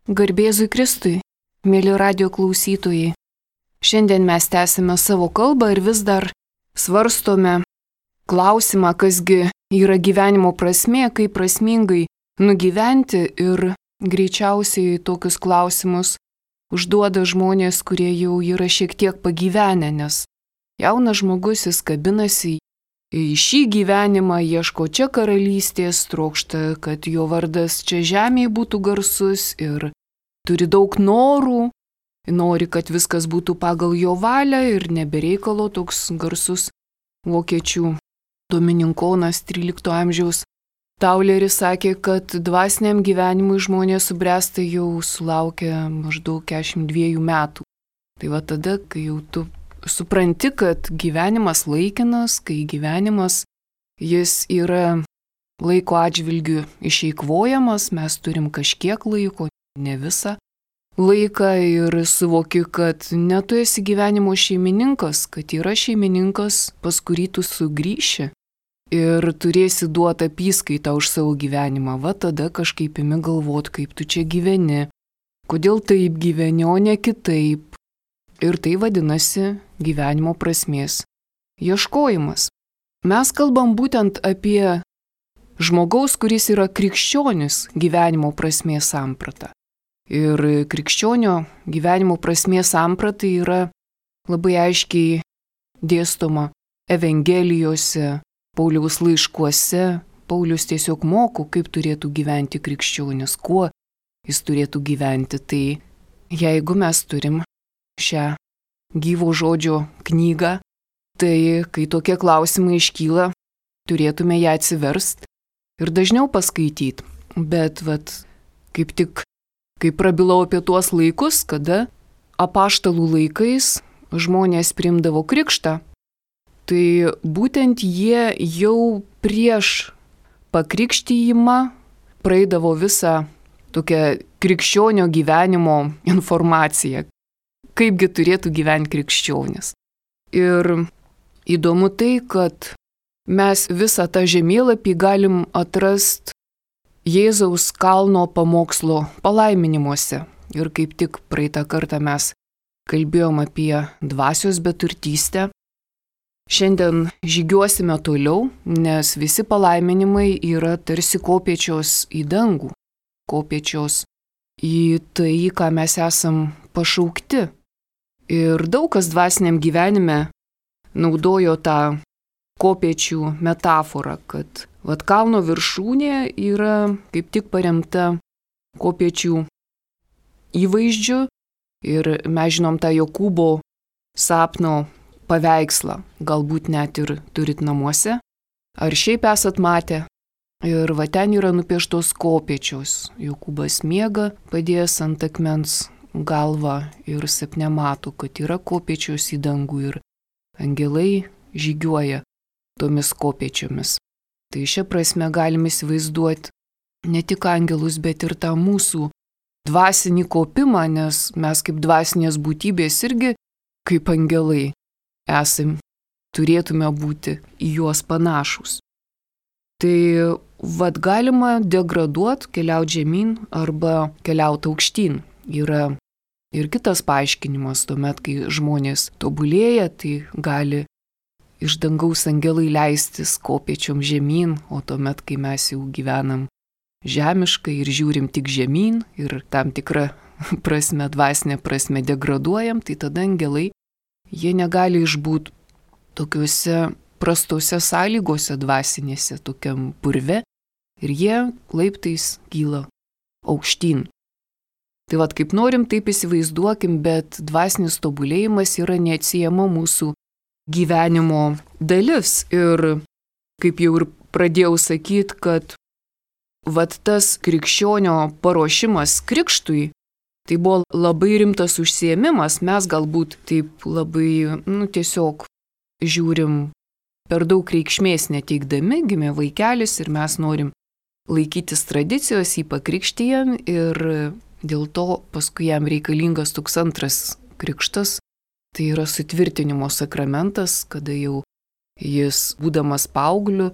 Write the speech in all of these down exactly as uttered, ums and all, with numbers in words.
Garbėzui Kristui, mėly radio klausytojai. Šiandien mes tęsime savo kalbą ir vis dar svarstome klausimą, kasgi yra gyvenimo prasmė, kaip prasmingai nugyventi, ir greičiausiai tokius klausimus užduoda žmonės, kurie jau yra šiek tiek pagyvenę, nes jaunas žmogus jis kabinasi į šį gyvenimą, ieško čia karalystės, trokšta, kad jo vardas čia žemėje būtų garsus ir turi daug norų, nori, kad viskas būtų pagal jo valią ir nebereikalo toks garsus vokiečių domininkonas trylikto amžiaus Tauleris sakė, kad dvasiniam gyvenimui žmonės subręsta jau sulaukia maždaug keturiasdešimt dviejų metų. Tai va tada, kai jau tu supranti, kad gyvenimas laikinas, kai gyvenimas jis yra laiko atžvilgiu išeikvojamas, mes turim kažkiek laiko, ne visą laiką, ir suvoki, kad ne tu esi gyvenimo šeimininkas, kad yra šeimininkas, pas kurį tu sugrįši ir turėsi duoti apyskaitą už savo gyvenimą. Va tada kažkaip imi galvot, kaip tu čia gyveni, kodėl taip gyveni, o ne kitaip. Ir tai vadinasi gyvenimo prasmės ieškojimas. Mes kalbam būtent apie žmogaus, kuris yra krikščionis, gyvenimo prasmės samprata. Ir krikščionio gyvenimo prasmės samprata yra labai aiškiai dėstoma Evangelijose, Pauliaus laiškuose. Paulius tiesiog moko, kaip turėtų gyventi krikščionis, kuo jis turėtų gyventi. Tai jeigu mes turim šią gyvo žodžio knygą, tai kai tokie klausimai iškyla, turėtume ją atsiverst ir dažniau paskaityti. Bet vat, kaip tik, kai prabilau apie tuos laikus, kada apaštalų laikais žmonės priimdavo krikštą, tai būtent jie jau prieš pakrikštijimą praeidavo visą tokią krikščionio gyvenimo informaciją, kaipgi turėtų gyventi krikščionis. Ir įdomu tai, kad mes visą tą žemėlapį galim atrasti Jėzaus kalno pamokslo palaiminimuose. Ir kaip tik praeitą kartą mes kalbėjom apie dvasios beturtystę. Šiandien žygiuosime toliau, nes visi palaiminimai yra tarsi kopėčios į dangų, kopėčios į tai, ką mes esam pašaukti. Ir daug kas dvasiniam gyvenime naudojo tą kopėčių metaforą, kad vat kalno viršūnė yra kaip tik paremta kopėčių įvaizdžiu, ir mes žinom tą Jokūbo sapno paveikslą, galbūt net ir turit namuose, ar šiaip esat matę. Ir va ten yra nupieštos kopėčios. Jokūbas miega, padėjęs ant akmens galvą, ir sapne mato, kad yra kopėčios į dangų ir angelai žygiuoja tomis kopėčiomis. Tai šia prasme galime įsivaizduoti ne tik angelus, bet ir tą mūsų dvasinį kopimą, nes mes kaip dvasinės būtybės irgi kaip angelai esam, turėtume būti į juos panašus. Tai vad galima degraduoti, keliauti žemyn arba keliauti aukštyn. Yra ir kitas paaiškinimas, tuomet, kai žmonės tobulėja, tai gali iš dangaus angelai leistis kopėčiom žemyn, o tuomet, kai mes jau gyvenam žemiškai ir žiūrim tik žemyn ir tam tikrą prasme, dvasinę prasme degraduojam, tai tada angelai, jie negali išbūti tokiuose prastose sąlygose dvasinėse, tokiam purve, ir jie laiptais kyla aukštyn. Tai vad kaip norim, taip įsivaizduokim, bet dvasinis tobulėjimas yra neatsiejama mūsų gyvenimo dalis. Ir kaip jau ir pradėjau sakyti, kad vat tas krikščionio paruošimas krikštui, tai buvo labai rimtas užsiėmimas. Mes galbūt taip labai, nu, tiesiog žiūrim per daug reikšmės neteikdami, gimė vaikelis ir mes norim laikytis tradicijos, jį pakrikštijam, ir dėl to paskui jam reikalingas toks antras krikštas, tai yra sutvirtinimo sakramentas, kada jau jis, būdamas paaugliu,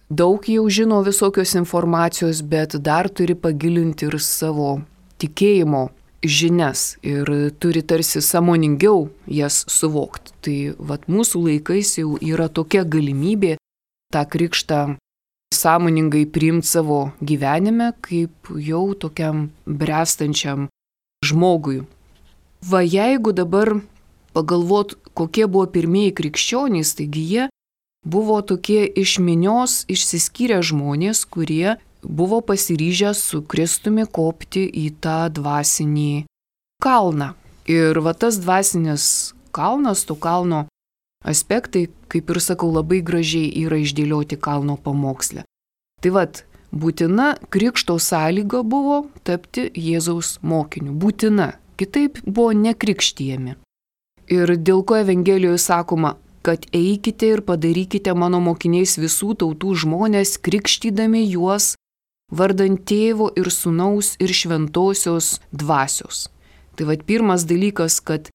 daug jau žino visokios informacijos, bet dar turi pagilinti ir savo tikėjimo žinias ir turi tarsi sąmoningiau jas suvokti. Tai vat mūsų laikais jau yra tokia galimybė tą krikštą sąmoningai priimti savo gyvenime kaip jau tokiam bręstančiam žmogui. Va jeigu dabar pagalvot, kokie buvo pirmieji krikščionys, taigi jie buvo tokie iš minios išsiskyrę žmonės, kurie buvo pasiryžę su Kristumi kopti į tą dvasinį kalną. Ir va tas dvasinis kalnas, to kalno aspektai, kaip ir sakau, labai gražiai yra išdėlioti kalno pamoksle. Tai vat, būtina krikšto sąlyga buvo tapti Jėzaus mokiniu. Būtina. Kitaip buvo nekrikštijami. Ir dėl ko Evangelijoje sakoma, kad eikite ir padarykite mano mokiniais visų tautų žmonės, krikštydami juos vardant Tėvo ir Sūnaus ir Šventosios dvasios. Tai vat pirmas dalykas, kad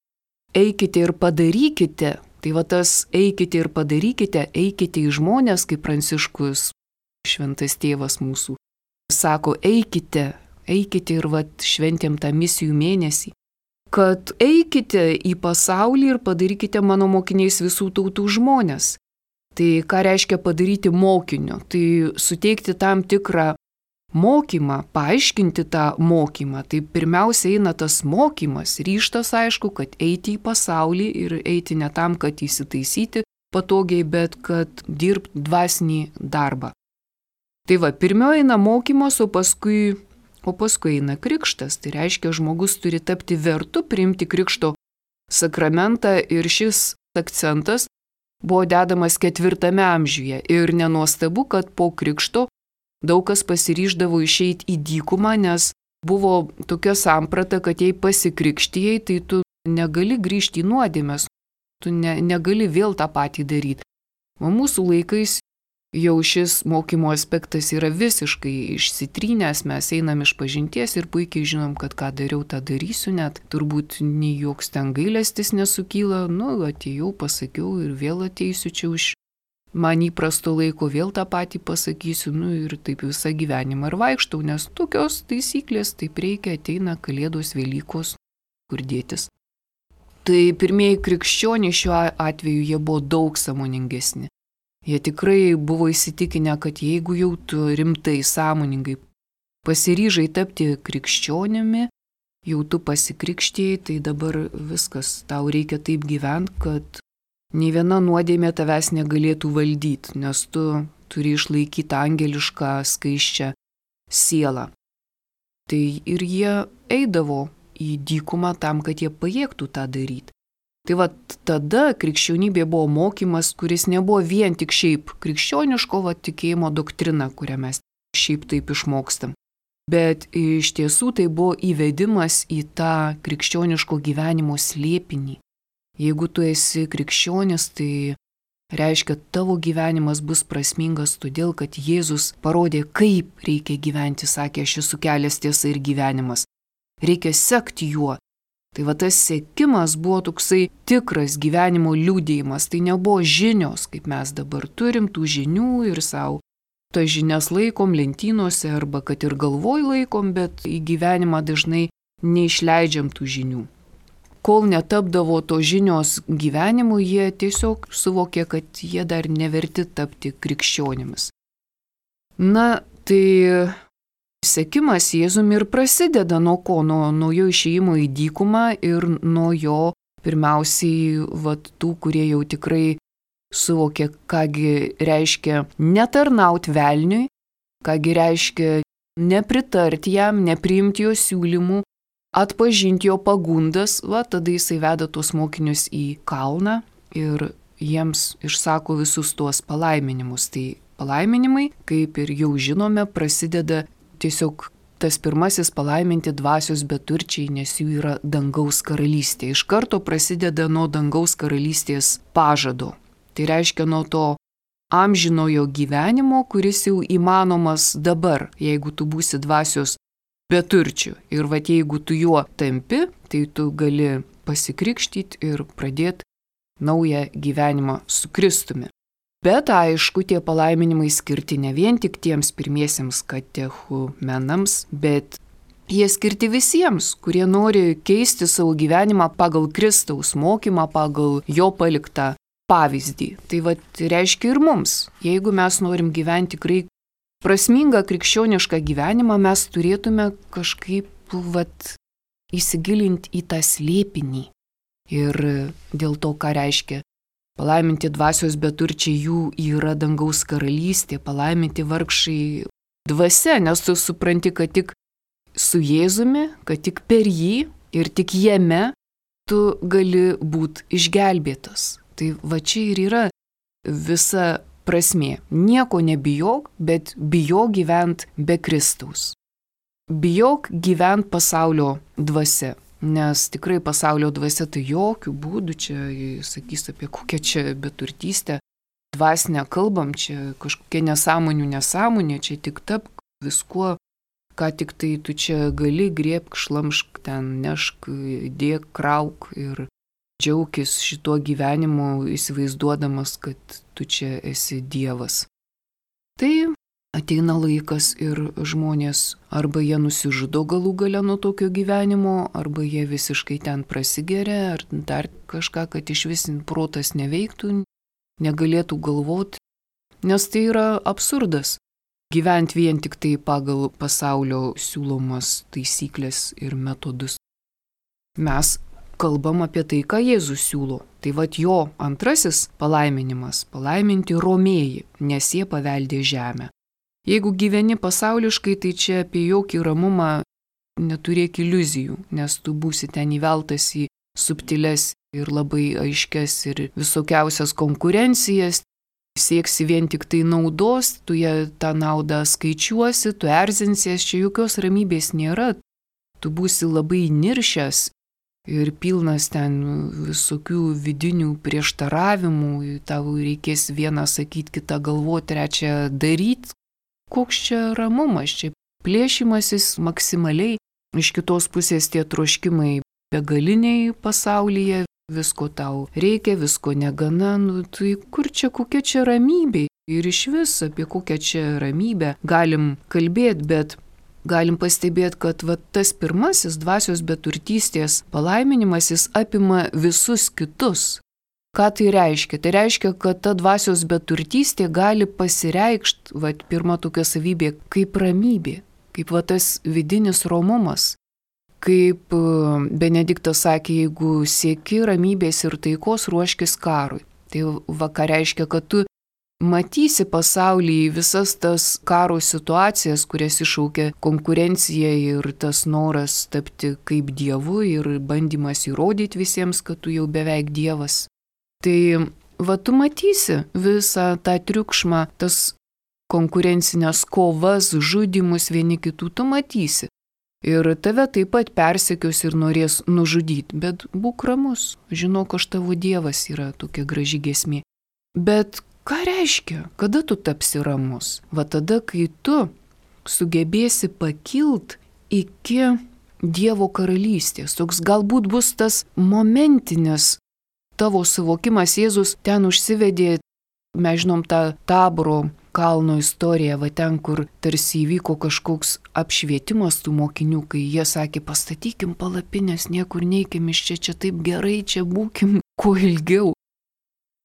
eikite ir padarykite, tai va tas eikite ir padarykite, eikite į žmonės, kaip Pranciškus, šventas tėvas mūsų, sako eikite, eikite ir vat šventėm tą misijų mėnesį. Kad eikite į pasaulį ir padarykite mano mokiniais visų tautų žmonės. Tai ką reiškia padaryti mokiniu? Tai suteikti tam tikrą mokymą, paaiškinti tą mokymą. Tai pirmiausia eina tas mokymas, ryžtas aišku, kad eiti į pasaulį ir eiti ne tam, kad įsitaisyti patogiai, bet kad dirbti dvasinį darbą. Tai va, pirmiau eina mokymas, o paskui O paskui eina krikštas, tai reiškia, žmogus turi tapti vertu priimti krikšto sakramentą ir šis akcentas buvo dedamas ketvirtame amžiuje. Ir nenuostabu, kad po krikšto daug kas pasiryždavo išeiti į dykumą, nes buvo tokia samprata, kad jei pasikrikštijai, tai tu negali grįžti į nuodėmes, tu ne, negali vėl tą patį daryti. O mūsų laikais jau šis mokymo aspektas yra visiškai išsitrynęs, mes einam iš pažinties ir puikiai žinom, kad ką dariau, tą darysiu, net turbūt nei joks ten gailestis nesukyla, nu, atėjau, pasakiau ir vėl ateisiu čia už man įprasto laiko, vėl tą patį pasakysiu, nu ir taip visą gyvenimą ir vaikštau, nes tokios taisyklės, taip reikia, ateina Kalėdos, Velykos, kur dėtis. Tai pirmieji krikščioniai šiuo atveju jie buvo daug sąmoningesni. Jie tikrai buvo įsitikinę, kad jeigu jau tu rimtai, sąmoningai pasiryžai tapti krikščionimi, jau tu pasikrikštėjai, tai dabar viskas, tau reikia taip gyventi, kad nei viena nuodėmė tavęs negalėtų valdyti, nes tu turi išlaikyti angelišką, skaisčią sielą. Tai ir jie eidavo į dykumą tam, kad jie pajėgtų tą daryti. Tai va tada krikščionybė buvo mokymas, kuris nebuvo vien tik šiaip krikščioniško va, tikėjimo doktrina, kurią mes šiaip taip išmokstam. Bet iš tiesų tai buvo įvedimas į tą krikščioniško gyvenimo slėpinį. Jeigu tu esi krikščionis, tai reiškia, tavo gyvenimas bus prasmingas todėl, kad Jėzus parodė, kaip reikia gyventi, sakė, aš esu kelias, tiesa ir gyvenimas. Reikia sekti juo. Tai va tas sekimas buvo toksai tikras gyvenimo liudijimas, tai nebuvo žinios, kaip mes dabar turim tų žinių ir savo tas žinias laikom lentynose arba kad ir galvoj laikom, bet į gyvenimą dažnai neišleidžiam tų žinių. Kol netapdavo to žinios gyvenimu, jie tiesiog suvokė, kad jie dar neverti tapti krikščionimis. Na, tai sekimas Jėzumi ir prasideda nuo ko? Nuo, nuo jo išėjimo į dykumą ir nuo jo pirmiausiai vat, tų, kurie jau tikrai suvokė, kągi reiškia netarnaut velniui, kągi reiškia nepritarti jam, nepriimti jo siūlymų, atpažinti jo pagundas, va, tada jisai veda tuos mokinius į kalną ir jiems išsako visus tuos palaiminimus. Tai palaiminimai, kaip ir jau žinome, prasideda tiesiog tas pirmasis palaiminti dvasios beturčiai, nes jų yra dangaus karalystė. Iš karto prasideda nuo dangaus karalystės pažado. Tai reiškia nuo to amžinojo gyvenimo, kuris jau įmanomas dabar, jeigu tu būsi dvasios beturčių. Ir va jeigu tu juo tampi, tai tu gali pasikrikštyti ir pradėti naują gyvenimą su Kristumi. Bet aišku, tie palaiminimai skirti ne vien tik tiems pirmiesiems katechumenams, bet Jie skirti visiems, kurie nori keisti savo gyvenimą pagal Kristaus mokymą, pagal jo paliktą pavyzdį. Tai va, reiškia ir mums. Jeigu mes norim gyventi tikrai prasmingą krikščionišką gyvenimą, mes turėtume kažkaip vat, įsigilinti į tą slėpinį. Ir dėl to, ką reiškia palaiminti dvasios beturčiai, jų yra dangaus karalystė, palaiminti vargšai dvasia, nes tu supranti, kad tik su Jėzumi, kad tik per jį ir tik jame tu gali būti išgelbėtas. Tai va čia ir yra visa prasmė. Nieko nebijok, bet bijok gyvent be Kristaus. Bijok gyvent pasaulio dvasia, nes tikrai pasaulio dvasia tai jokių būdų čia, sakys apie kokią čia beturtystę, dvasinę kalbam, čia kažkokia nesąmonių nesąmonė, čia tik tap viskuo, ką tik tai tu čia gali, griebk, šlamšk, ten nešk, dėk, krauk ir džiaukis šituo gyvenimu, įsivaizduodamas, kad tu čia esi Dievas. Tai ateina laikas ir žmonės arba jie nusižudo galų gale nuo tokio gyvenimo, arba jie visiškai ten prasigeria, ar dar kažką, kad iš vis protas neveiktų, negalėtų galvoti, nes tai yra absurdas. Gyventi vien tik tai pagal pasaulio siūlomas taisyklės ir metodus. Mes kalbam apie tai, ką Jėzus siūlo. Tai vat jo antrasis palaiminimas – palaiminti romėjai, nes jie paveldė žemę. Jeigu gyveni pasauliškai, tai čia apie jokį ramumą neturėk iliuzijų, nes tu būsi ten įveltas į subtiles ir labai aiškias ir visokiausias konkurencijas, sieksi vien tik tai naudos, tu ją tą naudą skaičiuosi, tu erzinsies, čia jokios ramybės nėra, tu būsi labai niršęs ir pilnas ten visokių vidinių prieštaravimų, tau reikės vieną sakyti, kitą galvoti, trečią daryti. Koks čia ramumas, čia plėšimasis maksimaliai, iš kitos pusės tie troškimai begaliniai pasaulyje, visko tau reikia, visko negana, nu tai kur čia, kokia čia ramybė ir iš vis apie kokią čia ramybę galim kalbėti, bet galim pastebėti, kad va, tas pirmasis dvasios beturtystės palaiminimas jis apima visus kitus. Ką tai reiškia? Tai reiškia, kad ta dvasios beturtystė gali pasireikšti, va, pirma tokia savybė, kaip ramybė, kaip va, tas vidinis romumas. Kaip Benediktas sakė, jeigu sieki ramybės ir taikos, ruoškis karui. Tai va, ką reiškia, kad tu matysi pasaulyje visas tas karo situacijas, kurias iššaukia konkurencija ir tas noras tapti kaip dievu ir bandymas įrodyti visiems, kad tu jau beveik dievas. Tai va, tu matysi visą tą triukšmą, tas konkurencinės kovas, žudimus vieni kitų, tu matysi. Ir tave taip pat persekios ir norės nužudyti, bet būk ramus, žinok, aš tavo dievas, yra tokia graži giesmė. Bet ką reiškia, kada tu tapsi ramus? Va tada, kai tu sugebėsi pakilt iki Dievo karalystės, toks galbūt bus tas momentinis tavo suvokimas. Jėzus ten užsivedė, mes žinom tą Taboro kalno istoriją, va ten, kur tarsi įvyko kažkoks apšvietimas tų mokinių, kai jie sakė, pastatykim palapinės, niekur neikim iš čia, čia taip gerai, čia būkim kuo ilgiau.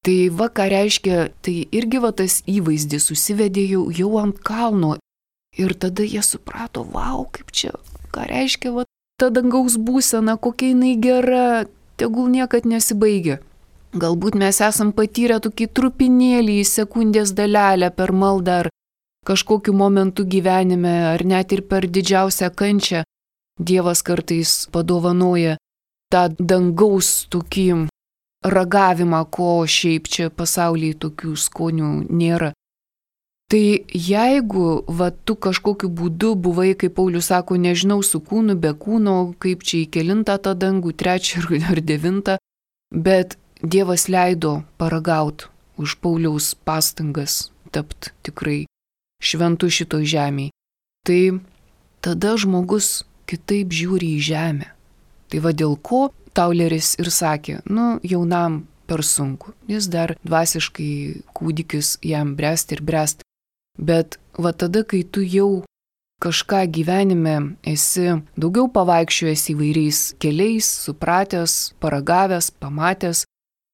Tai va, ką reiškia, tai irgi va tas įvaizdis susivedė jau, jau ant kalno ir tada jie suprato, vau, kaip čia, ką reiškia, va, ta dangaus būsena, kokia jinai gera, tegul niekad nesibaigia. Galbūt mes esam patyrę tokį trupinėlį į sekundės dalelę per maldą ar kažkokiu momentu gyvenime, ar net ir per didžiausią kančią. Dievas kartais padovanoja tą dangaus tokį ragavimą, ko šiaip čia pasaulyje tokių skonių nėra. Tai jeigu va, tu kažkokiu būdu buvai, kaip Paulius sako, nežinau, su kūnu, be kūno, kaip čia į kelintą tą dangų, trečią ar devintą, bet Dievas leido paragaut už Pauliaus pastangas tapt tikrai šventu šitoj žemėj. Tai tada žmogus kitaip žiūri į žemę. Tai va dėl ko Tauleris ir sakė, nu jaunam per sunku, jis dar dvasiškai kūdikis jam bręsti ir bręsti. Bet va tada, kai tu jau kažką gyvenime esi daugiau pavaikščiojęs įvairiais keliais, supratęs, paragavęs, pamatęs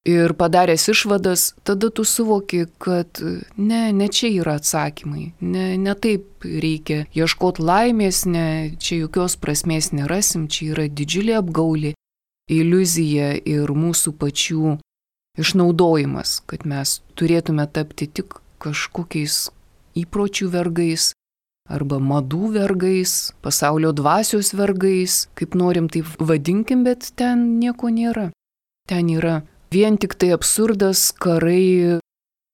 ir padaręs išvadas, tada tu suvoki, kad ne, ne čia yra atsakymai, ne, ne taip reikia ieškoti laimės, ne, čia jokios prasmės nerasim, čia yra didžiulė apgaulė, iliuzija ir mūsų pačių išnaudojimas, kad mes turėtume tapti tik kažkokiais įpročių vergais arba madų vergais, pasaulio dvasios vergais, kaip norim taip vadinkim, bet ten nieko nėra. Ten yra vien tik tai absurdas, karai,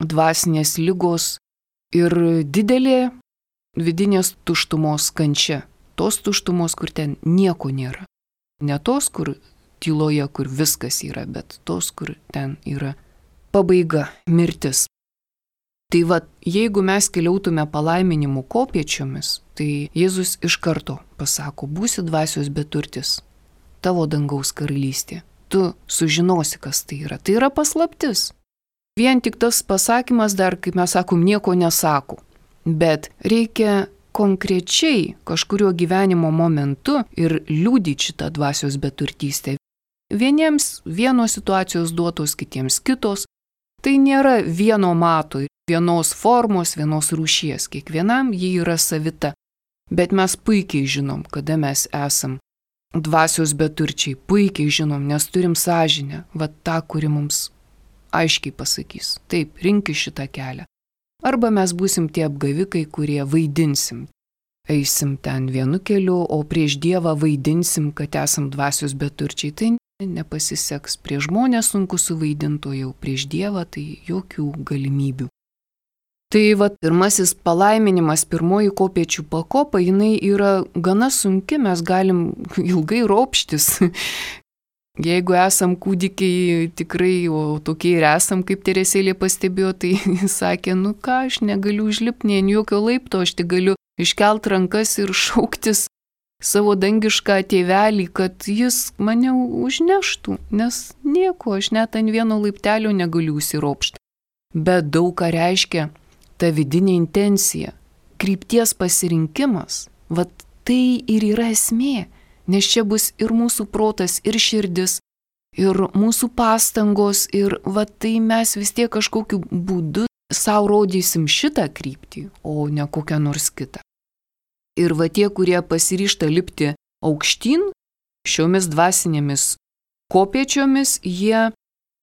dvasinės ligos ir didelė vidinės tuštumos kančia. Tos tuštumos, kur ten nieko nėra. Ne tos, kur tyloje, kur viskas yra, bet tos, kur ten yra pabaiga, mirtis. Tai va, jeigu mes keliautume palaiminimų kopėčiomis, tai Jėzus iš karto pasako, būsi dvasios beturtis, tavo dangaus karalystė. Tu sužinosi, kas tai yra. Tai yra paslaptis. Vien tik tas pasakymas dar, kaip mes sakom, nieko nesako. Bet reikia konkrečiai kažkurio gyvenimo momentu ir liudyti šitą dvasios beturtystę. Vieniems vienos situacijos duotos, kitiems kitos. Tai nėra vieno mato, vienos formos, vienos rūšies. Kiekvienam ji yra savita. Bet mes puikiai žinom, kada mes esam dvasios beturčiai, puikiai žinom, nes turim sąžinę, va tą, kuri mums aiškiai pasakys. Taip, rinkis šitą kelią. Arba mes būsim tie apgavikai, kurie vaidinsim. Eisim ten vienu keliu, o prieš Dievą vaidinsim, kad esam dvasios beturčiai. Tai nepasiseks. Prieš žmonės sunku suvaidinti, o jau prieš Dievą tai jokių galimybių. Tai va, pirmasis palaiminimas, pirmoji kopėčių pakopa, jinai yra gana sunki, mes galim ilgai ropštis. Jeigu esam kūdikiai tikrai, o tokie ir esam, kaip Teresėlė pastebėjo, tai sakė, nu ką, aš negaliu užlipti nei ant jokio laipto, aš tik galiu iškelt rankas ir šauktis savo dangišką tėvelį, kad jis mane užneštų, nes nieko, aš net ant vieno laiptelio negaliu užsiropšti. Bet daug ką reiškia ta vidinė intencija, krypties pasirinkimas, vat tai ir yra esmė, nes čia bus ir mūsų protas, ir širdis, ir mūsų pastangos, ir vat tai mes vis tiek kažkokiu būdu savo rodysim šitą kryptį, o ne kokią nors kitą. Ir va tie, kurie pasiryžta lipti aukštyn, šiomis dvasinėmis kopėčiomis, jie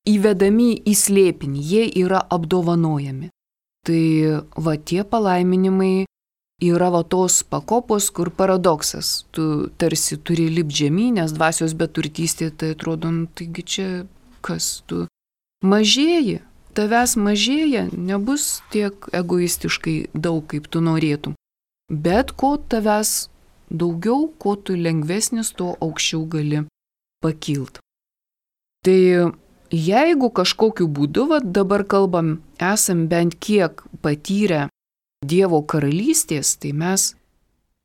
įvedami į slėpinį, jie yra apdovanojami. Tai va tie palaiminimai yra va tos pakopos, kur paradoksas. Tu tarsi turi lipti žemyn, nes dvasios beturtystė, tai atrodo, nu, taigi čia kas tu mažėji, tavęs mažėja, nebus tiek egoistiškai daug, kaip tu norėtum. Bet ko tavęs daugiau, ko tu lengvesnis, to aukščiau gali pakilt. Tai jeigu kažkokiu būdu, va, dabar kalbam, esam bent kiek patyrę Dievo karalystės, tai mes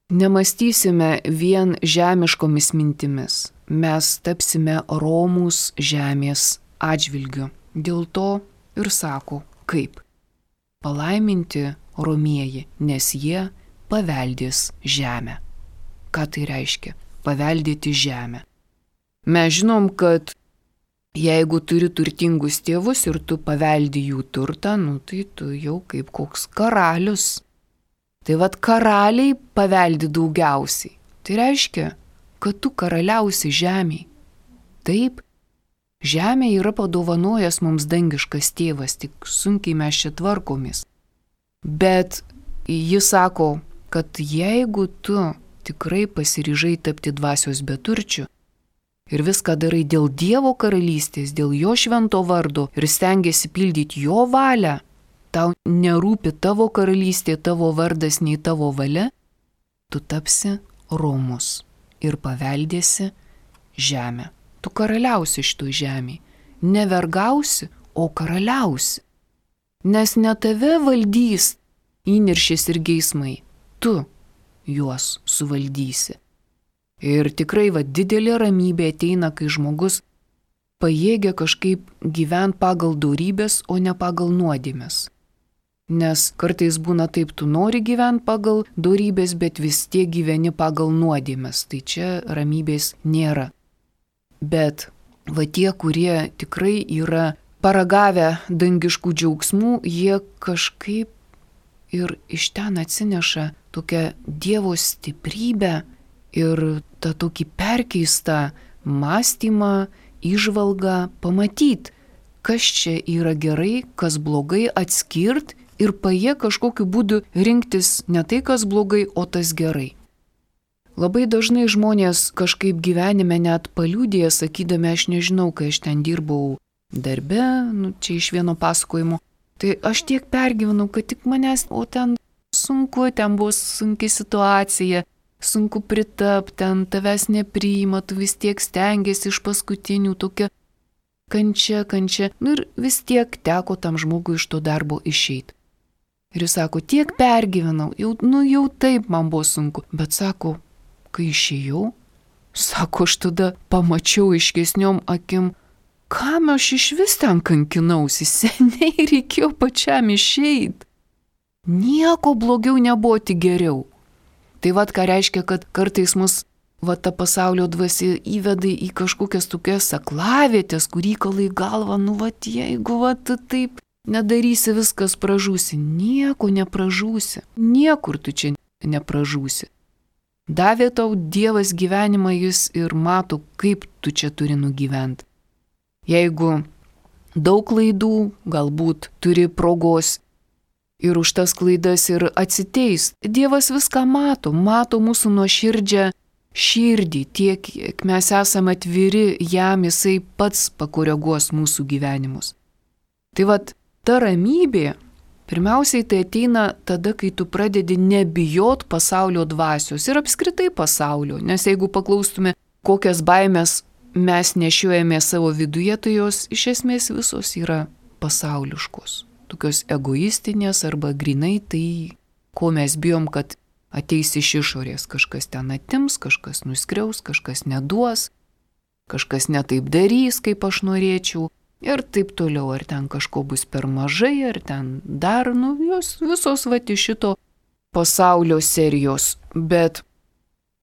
nemastysime vien žemiškomis mintimis. Mes tapsime romūs žemės atžvilgiu. Dėl to ir sako, kaip palaiminti romieji, nes jie paveldės žemę. Ką tai reiškia? Paveldėti žemę. Mes žinom, kad jeigu turi turtingus tėvus ir tu paveldi jų turtą, nu tai tu jau kaip koks karalius. Tai vat karaliai paveldi daugiausiai. Tai reiškia, kad tu karaliausi žemėje. Taip, žemė yra padovanojęs mums dangiškas tėvas, tik sunkiai mes čia tvarkomės. Bet jis sako, kad jeigu tu tikrai pasiryžai tapti dvasios beturčiu, ir viską darai dėl Dievo karalystės, dėl jo švento vardo ir stengiasi pildyti jo valią, tau nerūpi tavo karalystė, tavo vardas, nei tavo valia, tu tapsi romus ir paveldėsi žemę. Tu karaliausi šitoj žemėje. Ne vergausi, o karaliausi. Nes ne tave valdys įniršis ir geismai, tu juos suvaldysi. Ir tikrai va, didelė ramybė ateina, kai žmogus pajėgia kažkaip gyventi pagal dorybės, o ne pagal nuodėmes. Nes kartais būna taip, tu nori gyventi pagal dorybės, bet vis tiek gyveni pagal nuodėmes. Tai čia ramybės nėra. Bet va tie, kurie tikrai yra paragavę dangiškų džiaugsmų, jie kažkaip ir iš ten atsineša tokią Dievo stiprybę ir tą tokį perkeistą mąstymą, įžvalgą pamatyti, kas čia yra gerai, kas blogai, atskirt ir pajė kažkokiu būdu rinktis ne tai, kas blogai, o tas gerai. Labai dažnai žmonės kažkaip gyvenime net paliūdėja, sakydami, aš nežinau, kai aš ten dirbau darbe, nu, čia iš vieno pasakojimo, tai aš tiek pergyvenau, kad tik manęs, o ten sunku, ten buvo sunki situacija, sunku pritapti, ten tavęs nepriima, tu vis tiek stengiasi iš paskutinių, tokia kančia, kančia, nu ir vis tiek teko tam žmogui iš to darbo išeiti. Ir jis sako, tiek pergyvenau, jau, nu jau taip man buvo sunku, bet sako, kai išėjau, sako, aš tada pamačiau aiškesniom akim, kam aš iš vis ten kankinausi, seniai reikėjo pačiam išeiti. Nieko blogiau nebuvo, tik geriau. Tai vat ką reiškia, kad kartais mus va ta pasaulio dvasia įveda į kažkokias tokias aklavietės, kur įkalai galva, nu vat jeigu vat taip nedarysi, viskas pražūsi. Nieko nepražūsi, niekur tu čia nepražūsi. Davė tau Dievas gyvenimą, jis ir mato, kaip tu čia turi nugyventi. Jeigu daug klaidų, galbūt turi progos ir už tas klaidas ir atsiteist. Dievas viską mato, mato mūsų nuoširdžią širdį, tiek, kiek mes esame atviri jam, jisai pats pakoreguos mūsų gyvenimus. Tai vat, ta ramybė, pirmiausiai tai ateina tada, kai tu pradedi nebijot pasaulio dvasios ir apskritai pasaulio, nes jeigu paklaustume, kokias baimės mes nešiojame savo viduje, tai jos iš esmės visos yra pasauliškos. Tokios egoistinės arba grinai tai, ko mes bijom, kad ateis iš išorės, kažkas ten atims, kažkas nuskriaus, kažkas neduos, kažkas netaip darys, kaip aš norėčiau ir taip toliau, ar ten kažko bus per mažai, ar ten dar, nu, jos visos va iš šito pasaulio serijos. Bet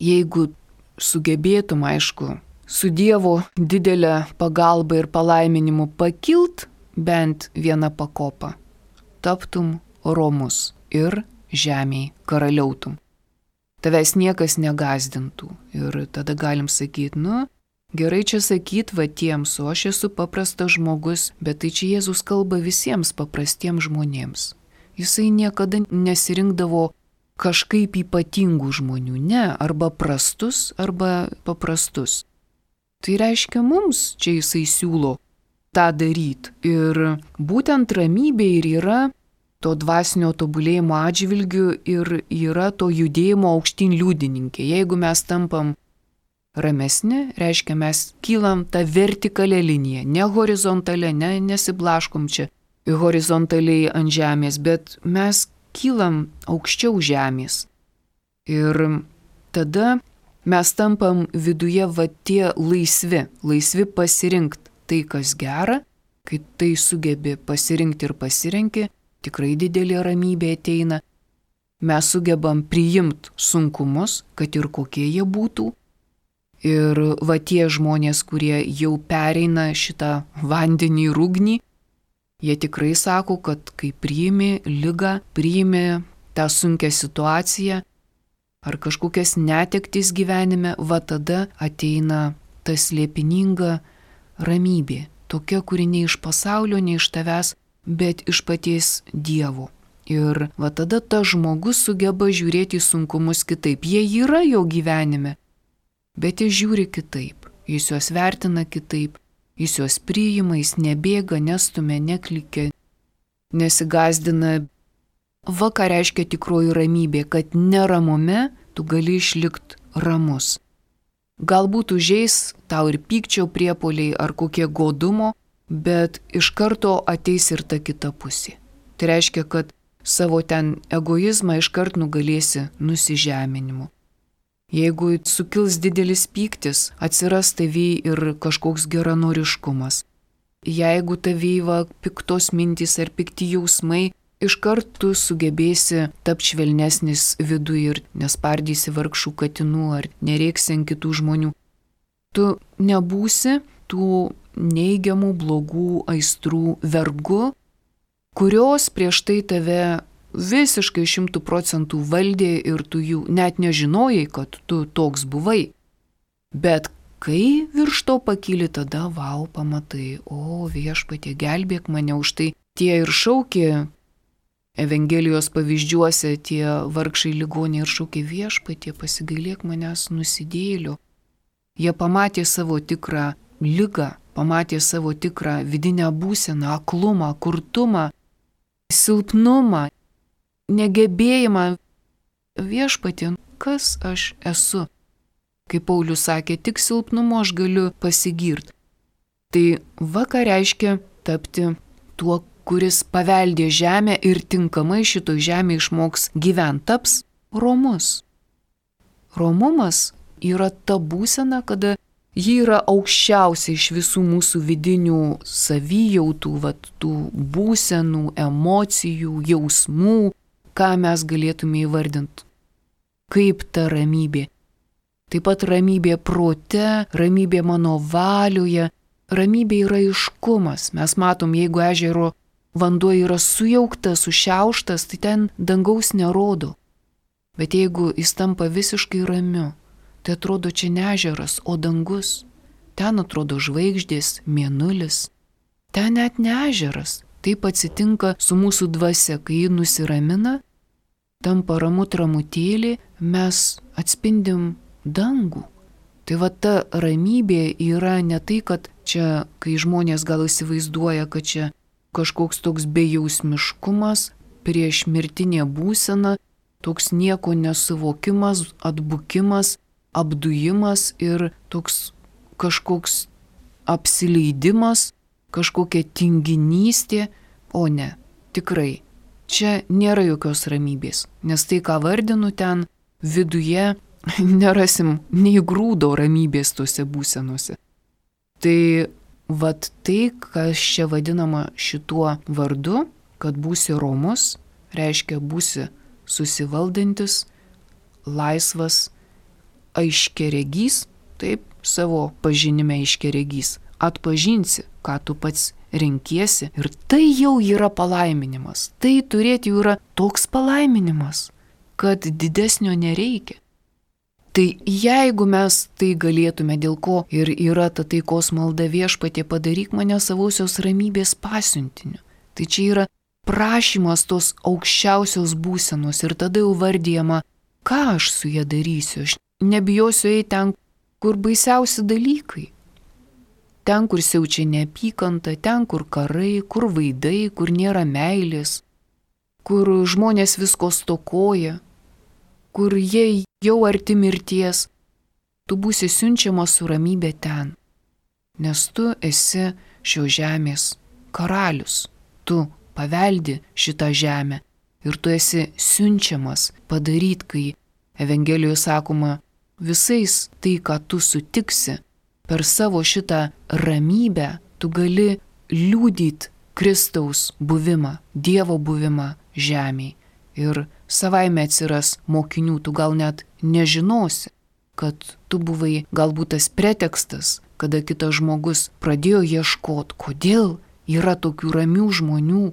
jeigu sugebėtum, aišku, su Dievo didelę pagalbą ir palaiminimu pakilt bent vieną pakopą, taptum romus ir žemėj karaliautum. Tavęs niekas negazdintų ir tada galim sakyti, nu, gerai čia sakyt va tiems, o aš esu paprastas žmogus, bet tai čia Jėzus kalba visiems paprastiems žmonėms. Jisai niekada nesirinkdavo kažkaip ypatingų žmonių, ne, arba prastus, arba paprastus. Tai reiškia mums, čia jisai siūlo tą daryti. Ir būtent ramybė ir yra to dvasinio tobulėjimo atžvilgių ir yra to judėjimo aukštyn liudininkė. Jeigu mes tampam ramesni, reiškia mes kylam tą vertikalę liniją, ne horizontalę, ne, nesiblaškom čia horizontaliai ant žemės, bet mes kylam aukščiau žemės. Ir tada mes tampam viduje va tie laisvi, laisvi pasirinkti tai, kas gera, kai tai sugebi pasirinkti ir pasirenki, tikrai didelė ramybė ateina. Mes sugebam priimti sunkumus, kad ir kokie jie būtų. Ir va tie žmonės, kurie jau pereina šitą vandenį ir ugnį, jie tikrai sako, kad kai priimi ligą, priimi tą sunkią situaciją ar kažkokias netektis gyvenime, va tada ateina ta slėpininga ramybė. Tokia, kuri ne iš pasaulio, ne iš tavęs, bet iš paties Dievo. Ir va tada tas žmogus sugeba žiūrėti į sunkumus kitaip. Jie yra jo gyvenime, bet jis žiūri kitaip. Jis juos vertina kitaip. Jis juos priima, jis nebėga, nestumia, neklikia, nesigazdina. Va ką reiškia tikroji ramybė, kad neramume tu gali išlikti ramus. Galbūt užeis tau ir pykčio priepuoliai ar kokie godumo, bet iš karto ateis ir ta kita pusė. Tai reiškia, kad savo ten egoizmą iškart nugalėsi nusižeminimu. Jeigu sukils didelis pyktis, atsiras tavyje ir kažkoks geranoriškumas. Jeigu tavyje va piktos mintys ar pikti jausmai iškart tu sugebėsi tapti švelnesnis viduje ir nespardysi vargšų katinų ar nerėksi ant kitų žmonių. Tu nebūsi tų neigiamų blogų aistrų vergu, kurios prieš tai tave visiškai šimtų procentų valdė ir tu jų net nežinojai, kad tu toks buvai. Bet kai virš to pakyli, tada vau, pamatai, o Viešpatie, gelbėk mane. Už tai tie ir šaukė Evangelijos pavyzdžiuose, tie vargšai ligoniai ir šaukė, Viešpatie, pasigailėk manęs nusidėjėlio. Jie pamatė savo tikrą ligą, pamatė savo tikrą vidinę būseną, aklumą, kurtumą, silpnumą, negebėjimą. Viešpatie, kas aš esu? Kaip Paulius sakė, tik silpnumu aš galiu pasigirti. Tai va ką reiškia tapti tuo, kuris paveldė žemę ir tinkamai šitoj žemė išmoks gyventi, taps romus. Romumas yra ta būsena, kada ji yra aukščiausia iš visų mūsų vidinių savijautų, vat, tų būsenų, emocijų, jausmų, ką mes galėtume įvardinti. Kaip ta ramybė. Taip pat ramybė prote, ramybė mano valioje, ramybė yra aiškumas. Mes matom, jeigu ežero vanduo yra sujauktas, sušiauštas, tai ten dangaus nerodo. Bet jeigu jis tampa visiškai ramiu, tai atrodo čia ne ežeras, o dangus. Ten atrodo žvaigždės, mėnulis. Ten net ne ežeras. Taip atsitinka su mūsų dvasia, kai ji nusiramina, tampa ramu tramutėlį, mes atspindim dangų. Tai va ta ramybė yra ne tai, kad čia, kai žmonės gal įsivaizduoja, kad čia kažkoks toks bejausmiškumas, prieš mirtinė būsena, toks nieko nesuvokimas, atbukimas, apdujimas ir toks kažkoks apsileidimas, kažkokia tinginystė, o ne, tikrai, čia nėra jokios ramybės, nes tai, ką vardinu ten, viduje nerasim nei grūdo ramybės tose būsenose. Tai vat tai, kas čia vadinama šituo vardu, kad būsi romus, reiškia būsi susivaldantis, laisvas, aiškiaregys, taip, savo pažinime aiškiaregys, atpažinsi, ką tu pats renkiesi ir tai jau yra palaiminimas. Tai turėti jau yra toks palaiminimas, kad didesnio nereikia. Tai jeigu mes tai galėtume, dėl ko ir yra ta taikos malda, Viešpatie, padaryk mane savosios ramybės pasiuntiniu. Tai čia yra prašymas tos aukščiausios būsenos ir tada jau vardyjama, ką aš su ja darysiu. Aš nebijosiu eiti ten, kur baisiausi dalykai. Ten, kur siaučia neapykanta, ten, kur karai, kur vaidai, kur nėra meilės, kur žmonės visko stokoja, kur jie jau arti mirties, tu būsi siunčiamas su ramybė ten, nes tu esi šios žemės karalius, tu paveldi šitą žemę ir tu esi siunčiamas padaryti, kai Evangelijoje sakoma, visais tai, ką tu sutiksi, per savo šitą ramybę tu gali liudyti Kristaus buvimą, Dievo buvimą žemėje. Ir savaime atsiras mokinių, tu gal net nežinosi, kad tu buvai galbūt tas pretekstas, kada kitas žmogus pradėjo ieškoti, kodėl yra tokių ramių žmonių,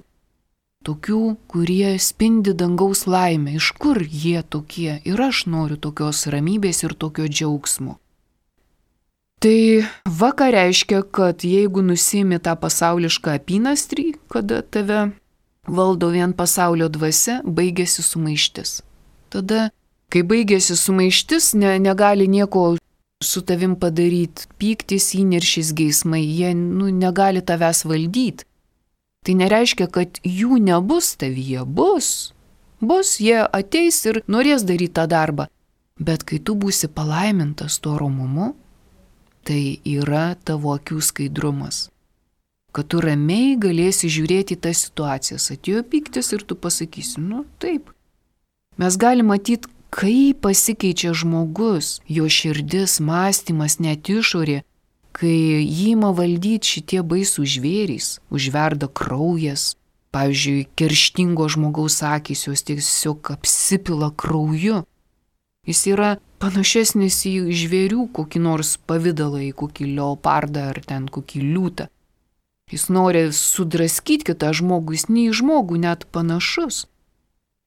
tokių, kurie spindi dangaus laimę, iš kur jie tokie ir aš noriu tokios ramybės ir tokio džiaugsmo. Tai va ką reiškia, kad jeigu nusimi tą pasaulišką apynastrį, kada tave valdo vien pasaulio dvasia, baigėsi sumaištis. Tada, kai baigėsi sumaištis, ne, negali nieko su tavim padaryti, pyktis, įniršis, geismai, jie nu, negali tavęs valdyti. Tai nereiškia, kad jų nebus tavyje, bus. Bus, jie ateis ir norės daryti tą darbą. Bet kai tu būsi palaimintas tuo romumu, tai yra tavo akių skaidrumas. Kad tu ramiai galėsi žiūrėti į tas situacijas. Atėjo pyktis ir tu pasakysi, nu taip. Mes galime matyti, kaip pasikeičia žmogus, jo širdis, mąstymas, net išorė, kai jį ima valdyti šitie baisų žvėrys, užverda kraujas, Pavyzdžiui, kerštingo žmogaus akys jos tiesiog apsipila krauju. Jis yra panašesnis į žvėrių kokį nors pavydalą, į kokį leopardą ar ten kokį liūtą. Jis nori sudraskyti kitą žmogų, jis ne į žmogų net panašus.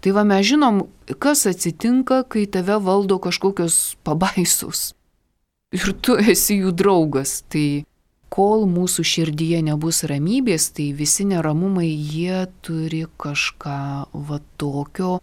Tai va mes žinom, kas atsitinka, kai tave valdo kažkokios pabaisos. Ir tu esi jų draugas. Tai kol mūsų širdyje nebus ramybės, tai visi neramumai jie turi kažką va tokio,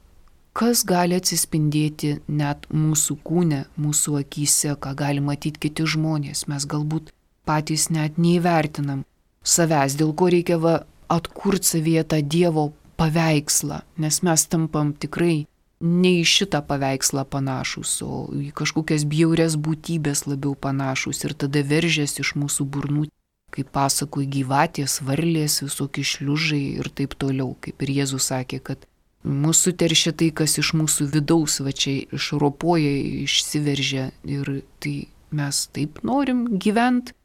kas gali atsispindėti net mūsų kūne, mūsų akyse, ką gali matyti kiti žmonės. Mes galbūt patys net neįvertinam savęs, dėl ko reikia va atkurti savyje tą Dievo paveikslą, nes mes tampam tikrai ne į šitą paveikslą panašus, o į kažkokias bjaurias būtybės labiau panašus ir tada veržiasi iš mūsų burnų, kaip pasakoj, gyvatės, varlės, visokie šliužai ir taip toliau, kaip ir Jėzus sakė, kad mūsų teršia tai, kas iš mūsų vidaus, va čia išropoja, išsiveržia ir tai mes taip norim gyventi.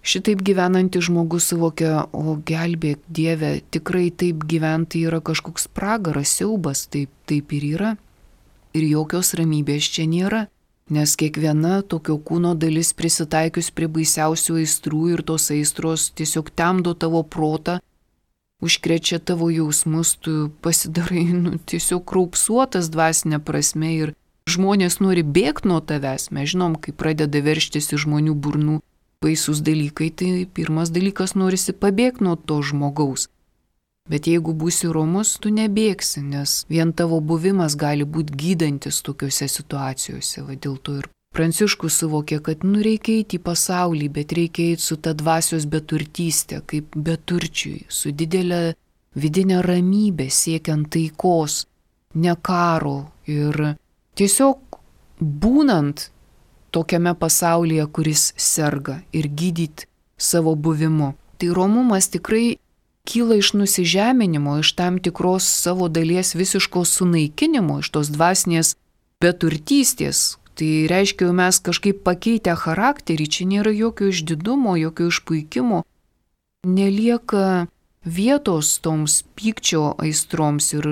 Šitaip gyvenantis žmogus suvokia, o gelbėk Dieve, tikrai taip gyventi yra kažkoks pragaras, siaubas, taip, taip ir yra. Ir jokios ramybės čia nėra, nes kiekviena tokio kūno dalis prisitaikius prie baisiausių aistrų ir tos aistros tiesiog temdo tavo protą, užkrečia tavo jausmus, tu pasidarai nu, tiesiog kraupsuotas dvasinė prasme ir žmonės nori bėgti nuo tavęs. Mes žinom, kai pradeda verštis iš žmonių burnų baisus dalykai, tai pirmas dalykas norisi pabėgti nuo to žmogaus. Bet jeigu būsi romus, tu nebėgsi, nes vien tavo buvimas gali būti gydantis tokiuose situacijose. Va, dėl to ir Pranciškus suvokė, kad nu reikia eiti į pasaulį, bet reikia eiti su ta dvasios beturtystė, kaip beturčiui, su didelė vidinė ramybė, siekiant taikos, ne karo ir tiesiog būnant tokiame pasaulyje, kuris serga ir gydyti savo buvimu. Tai romumas tikrai kyla iš nusižeminimo, iš tam tikros savo dalies visiško sunaikinimo, iš tos dvasinės beturtystės. Tai reiškia, mes kažkaip pakeitę charakterį, čia nėra jokio išdidumo, jokio išpuikimo, nelieka vietos toms pykčio aistroms ir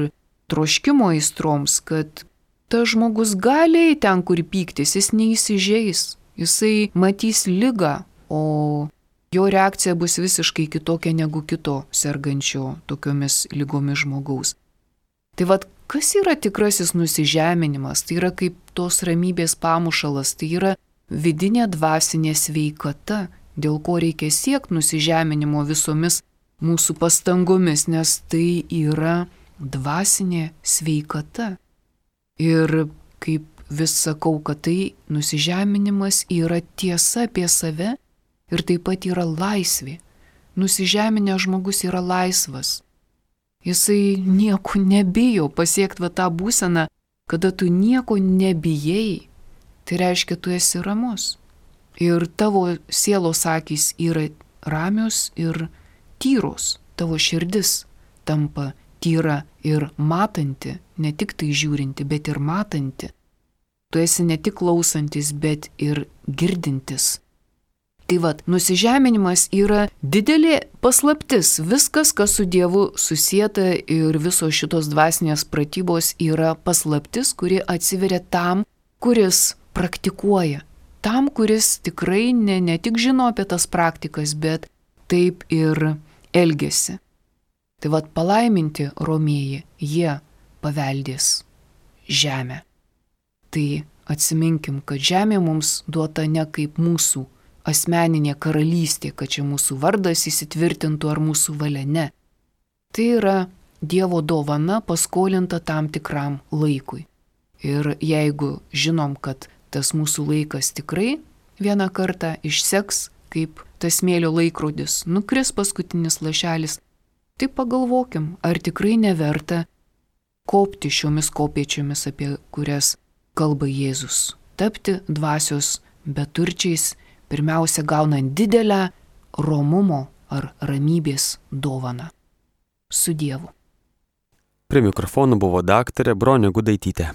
troškimo aistroms, kad tas žmogus gali ten, kur pyktis, jis neįsižeis, jisai matys ligą, o jo reakcija bus visiškai kitokia negu kito sergančio tokiomis lygomis žmogaus. Tai vad, kas yra tikrasis nusižeminimas? Tai yra kaip tos ramybės pamušalas, tai yra vidinė dvasinė sveikata, dėl ko reikia siekti nusižeminimo visomis mūsų pastangomis, nes tai yra dvasinė sveikata. Ir kaip vis sakau, kad tai nusižeminimas yra tiesa apie save ir taip pat yra laisvė. Nusižeminęs žmogus yra laisvas. Jisai nieko nebijo pasiekti va tą būseną, kada tu nieko nebijai. Tai reiškia, tu esi ramus. Ir tavo sielos akys yra ramios ir tyros. Tavo širdis tampa tyra ir matanti, ne tik tai žiūrinti, bet ir matanti. Tu esi ne tik klausantis, bet ir girdintis. Tai vad, nusižeminimas yra didelė paslaptis. Viskas, kas su Dievu susieta ir visos šitos dvasinės pratybos yra paslaptis, kuri atsiveria tam, kuris praktikuoja. Tam, kuris tikrai ne, ne tik žino apie tas praktikas, bet taip ir elgesi. Tai vad, palaiminti romieji, jie paveldės žemę. Tai atsiminkim, kad žemė mums duota ne kaip mūsų asmeninė karalystė, kad čia mūsų vardas įsitvirtintų ar mūsų valia, ne. Tai yra Dievo dovana paskolinta tam tikram laikui. Ir jeigu žinom, kad tas mūsų laikas tikrai vieną kartą išseks, kaip tas smėlio laikrodis, nukris paskutinis lašelis, tai pagalvokim, ar tikrai neverta kopti šiomis kopėčiomis, apie kurias kalba Jėzus. Tapti dvasios beturčiais, pirmiausia gaunant didelę romumo ar ramybės dovaną. Su Dievu. Prie mikrofonų buvo daktarė Bronė Gudaitytė.